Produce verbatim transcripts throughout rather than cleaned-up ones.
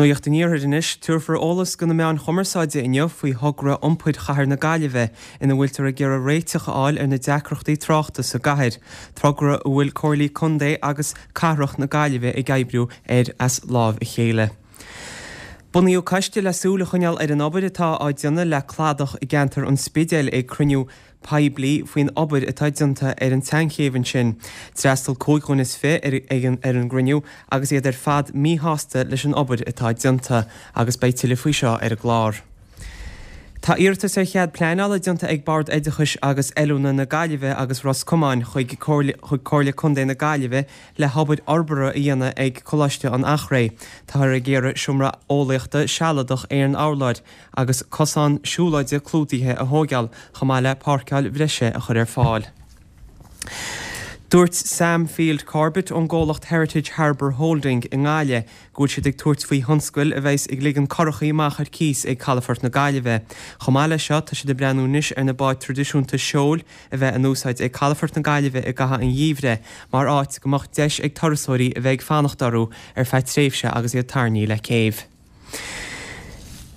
Nuacht an Iarthair anois, tabharfar eolas do na meáin chumarsáide inniu faoi thogra iompair chathair na Gaillimhe ina bhfuiltear ag iarraidh réiteach a fháil ar na deacrachtaí tráchta sa gcathair, togra a bhfuil comhairlí contae agus cathrach na Gaillimhe ag oibriú air as láimh a chéile. Bunaíodh coiste le súil a choinneáil ar an obair atá á déanamh le cladach i gceantar an Spidéil ag cruinniú poiblí faoin obair atá déanta ar an tseanchéibh ansin. D'fhreastail cúig dhuine is fiche ar an ar an gcruinniú agus iad ar fad míshásta leis an obair atá déanta agus beidh tuilleadh faoi seo ar an gclár. Tá iarratas ar chead pleanála déanta ag Bord Oideachais agus Oiliúna na Gaillimhe agus Ros Comáin chuig chuig Comhairle Contae na Gaillimhe le hobair fhorbartha a dhéanamh ag Coláiste an Eachréidh. Táthar ag iarraidh seomra eolaíochta sealadach aon urláir agus cosán siúlóide clúdaithe a thógáil chomh maith le páirceáil bhreise a chur ar fáil. Dúirt Sam Field Corbett ón gcomhlacht Heritage Harbour Holding i nGaillimh go bhfuil siad ag tabhairt faoi thionscal a bheas ag ligean curachaí amach ar cíos ag Calafort na Gaillimhe. Chomh maith leis seo tá siad ag breathnú anois ar na báid traidisiúnta seoil a bheith in úsáid ag Calafort na Gaillimhe i gcaitheamh an gheimhridh, mar áit go mbeadh deis ag turasóirí a bheith ag fanacht orthu ar feadh tréimhse agus iad tarraingthe le céibh.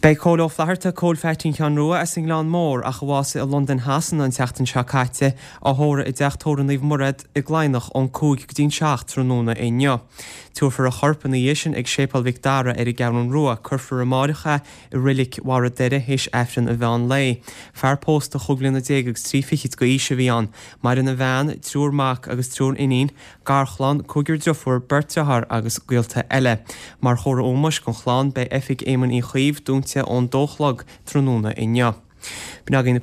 Beidh Cóil Ó Flatharta, Cóil Pheaitsín Sheáin Rua as an nGleann Mór ach a bhásaigh i Londain Shasana an tseachtain seo caite, á thórramh i dteach tórraimh Naomh Mairéad i gCladhnach ón cúig go dtí'n seacht tráthnóna inniu. Tabharfar a chorp ina dhiaidh sin ag Séipéal Mhic Dara ar an gCeathrú Rua. Cuirfear amárach é i reilig Bharra Doire théis Aifreann an mheán lae. Fear pósta chúig bliana déag agus trí fichid d'aois a bhí ann. Maireann a bhean, triúr mac agus triúr iníon, garchlann, cúigear deirfiúr, beirt dearthár agus gaolta eile. Mar chomhartha ómóis don chlann beidh oifig Éamoinn Uí Chuív dúnta ón dó a chlog tráthnóna inniu. B'in againn na